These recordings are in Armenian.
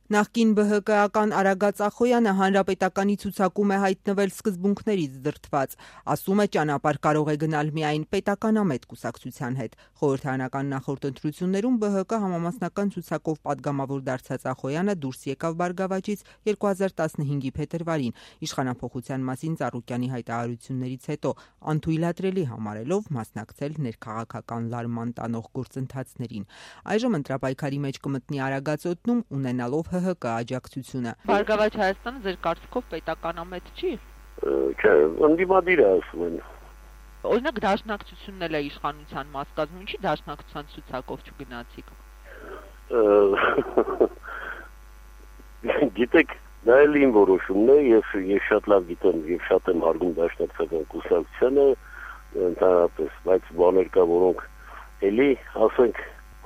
Նախկին ԲՀԿ-ական Արագած Ախոյանը հանրապետականի ցուցակում է հայտնվել սկզբունքներից դրդված, ասում է ճանապարհ կարող է գնալ միայն պետականամետ կուսակցության հետ։ Խորհրդարանական նախորդ ընտրություններում ԲՀԿ համամասնական ցուցակով պատգամավոր դարձած Ախոյանը դուրս եկավ Բարգավաճից 2015-ի փետրվարին, իշխանափոխության մասին Ծառուկյանի հայտարարություններից հետո անթույլատրելի համարելով մասնակցել ներքաղաքական լարման տանող գործընթացներին։ Այժմ ընտրապայքարի մեջ կմտնի Արագած օդնում ունենալով ՀՀԿ աջակցությունը։ Բարգավաճ Հայաստանը ձեր կարծիքով պետականամետ չի։ Չէ, ընդդիմադիր է ասում են։ Օրինակ դաշնակցությունն էլ է իշխանության մաս կազմում, ինչի դաշնակցության ցուցակով չգնացիք։ Գիտեք, դա էլ իմ որոշումն է, ես շատ լավ գիտեմ եւ շատ եմ հարգում դաշնակցական կուսակցությանը, ընդհանրապես, բայց բաներ կա, որոնք էլի, ասենք,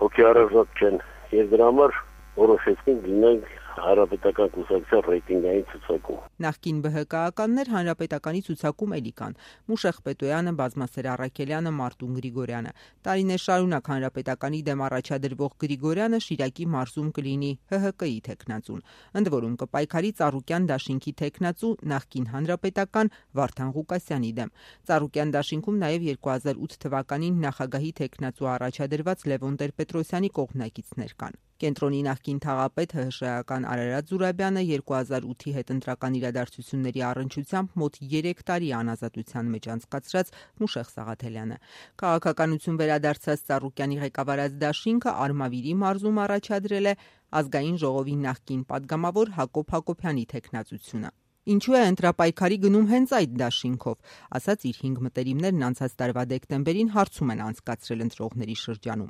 հոգեարազատ չեն, եւ դրա համար որոշեցինք գնանք հանրապետական կուսակցության ռեյտինգային ցուցակում։ Նախկին ԲՀԿ-ականներ հանրապետականի ցուցակում էլի կան՝ Մուշեղ Պետոյանը, Բազմասեր Առաքելյանը, Մարտուն Գրիգորյանը։ Տարիներ շարունակ հանրապետականի դեմ առաջադրվող Գրիգորյանը Շիրակի մարզում կլինի ՀՀԿ-ի թեկնածուն։ Ընդ որում կպայքարի Ծառուկյան դաշինքի թեկնածու նախկին հանրապետական Վարդան Ղուկասյանի դեմ։ Ծառուկյան դաշինքում նաև 2008 թվականին նախագահի թեկնածու առաջադրված Լևոն Տեր-Պետրոսյանի կողմնակիցներ կան։ Կենտրոնի նախկին թաղապետ ՀՀՇ-ական Արարատ Զուրաբյանը 2008-ի հետընտրական իրադարձությունների առնչությամբ մոտ 3 տարի անազատության մեջ անցկացրած Մուշեղ Սաղաթելյանը։ Քաղաքականություն վերադարձած Ծառուկյանի ղեկավարած դաշինքը Արմավիրի մարզում առաջադրել է ազգային ժողովի նախկին падգամավոր Հակոբ Հակոբյանի թեկնածությունը։ Ինչու է ընտրապայքարի գնում հենց այդ դաշինքով, ասած իր 5 մտերիմներն անցած տարվա դեկտեմբերին հարցում են անցկացրել ընտրողների շրջանում։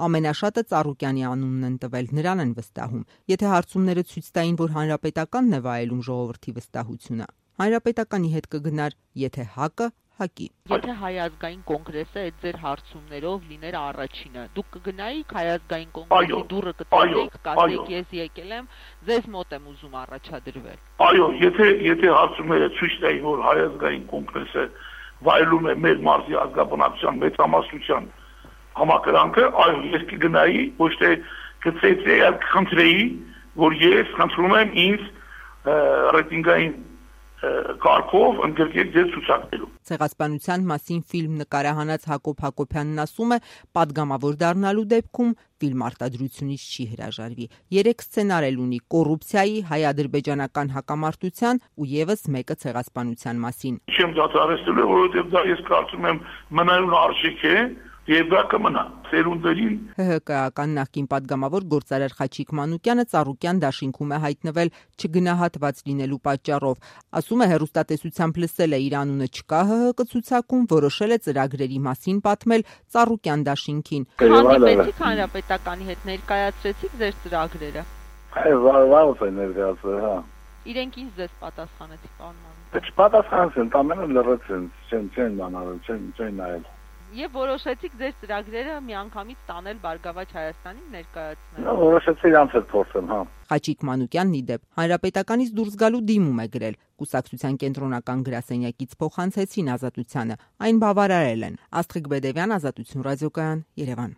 Ամենաշատը Ծառուկյանի անունն են տվել, նրան են վստահում։ Եթե հարցումները ցույց տային, որ հանրապետականն է վայելում ժողովրդի վստահությունը, հանրապետականի հետ կգնար, եթե ՀԱԿ-ը հակի։ Եթե Հայ ազգային կոնգրեսը այդ ձեր հարցումներով լիներ առաջինը, դուք կգնայիք Հայ ազգային կոնգրեսի դուռը կտեսեք, կասեք ես եկել եմ, ձեզ մոտ եմ ուզում առաջադրվել։ Այո, եթե հարցումները ցույց տային, որ Հայ ազգային կոնգրեսը վայելում է մեր մարզի ազգաբնակչության մեծամասնության համակրանքը, այո, ես կգնայի, ոչ թե կծեծեի, այլ կխնդրեի, որ ես խնդրում եմ ինձ ռեյտինգային կարգով ընդգրկել ձեր ցուցակներում։ Ցեղասպանության մասին ֆիլմ նկարահանած Հակոբ Հակոբյանն ասում է, падգամավոր դառնալու դեպքում ֆիլմ արտադրությունից չի հրաժարվի։ 3 սցենար էլ ունի՝ կոռուպցիայի, հայ-ադրբեջանական հակամարտության ու եւս մեկը ցեղասպանության մասին։ Չեմ դադարեցնելու, որովհետեւ դա ես կարծում եմ մնայուն արժեք է եւ դա կմնա սերունդերին։ ՀՀԿ-ական նախկին падգամավոր գործարար Խաչիկ Մանուկյանը Ծառուկյան դաշինքում է հայտնվել չգնահատված լինելու պատճառով։ Ասում է, հեռուստատեսությամբ լսել է իր անունը չկա ՀՀԿ ցուցակում, որոշել է ծրագրերի մասին պատմել Ծառուկյան դաշինքին։ Հանդիպեցիք հանրապետականի հետ, ներկայացրեցիք ձեր ծրագրերը։ Վաղուց է ներկայացրել, հա։ Իրենք ինչ ձեզ պատասխանեցին, պարոն Մանուկյան։ Չպատասխանեցին, ամենը լրացին, չեն անարել, չեն նայել։ Եվ որոշեցիք ձեր ծրագրերը միանգամից տանել Բարգավաճ Հայաստանին ներկայացնել։ Որոշեցի իրանց հետ փոխել, հա։ Խաչիկ Մանուկյանն ի դեպ հանրապետականից դուրս գալու դիմում է գրել։ Կուսակցության կենտրոնական գրասենյակից փոխանցեցին Ազատությանը, այն բավարարել են։ Աստղիկ Բեդևյան, Ազատություն ռադիոկայան, Երևան։